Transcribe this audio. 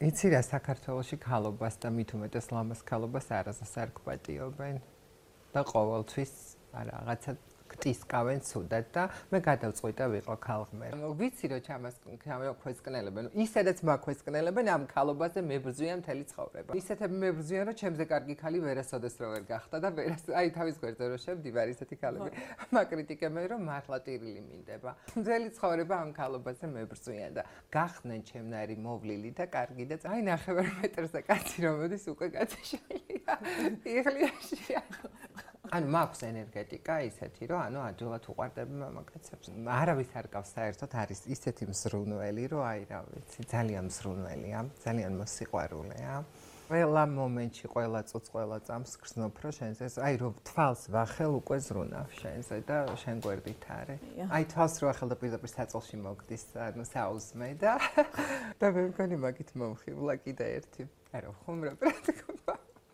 იცი რა საქართველოში ქალობას და მით უმეტეს ლამაზ ქალობას არასდროს არ გვპატიობენ და ყოველთვის რაღაცა გტისკავენ ცუდად და მე გადავწყვიტე და ვიყო ქალღმერი. ვიცი რომ ჩამას ქვესკნელებენ. ისედაც მაქვესკნელებენ ამ ქალობაზე მებრძვიან მთელი ცხოვრება. ისეთები მებრძვიან რომ ჩემზე კარგი ქალი ვერასოდეს რო ვერ გახდა და აი თავის გვერდზე რო შევდივარ ისეთი ქალები მაკრიტიკებენ რომ მართლა ტირილი მინდება. მთელი ცხოვრება ამ ქალობაზე მებრძვიან და გახდნენ ჩემნარი მოვლილი და კარგი და აი 9 მეტრზე კაცი რომ მოდის უკვე გაწეშალია. იღლიაში ანუ მაქვს ენერგეტიკა ისეთი რომ ანუ ადვილად უყვარდები მამაკაცებს. არავის არ გავს საერთოდ არის ისეთი მზრუნველი რომ აი რა ვიცი ძალიან მზრუნველია, ძალიან მოსიყვარულეა. ყველა მომენტში, ყველა წუთს, ყველა წამს გრძნობ რომ შენზე აი რომ თვალს ვახელ უკვე ზრუნავ შენზე და შენ გვერდით არის. აი თვალს რო ახელ და პირდაპირ საწოლში მოგდის ანუ საუზმე და მე მგონი მაგით მომხიბლა კიდე ერთი. არა ხუმრობ რა თქმა უნდა.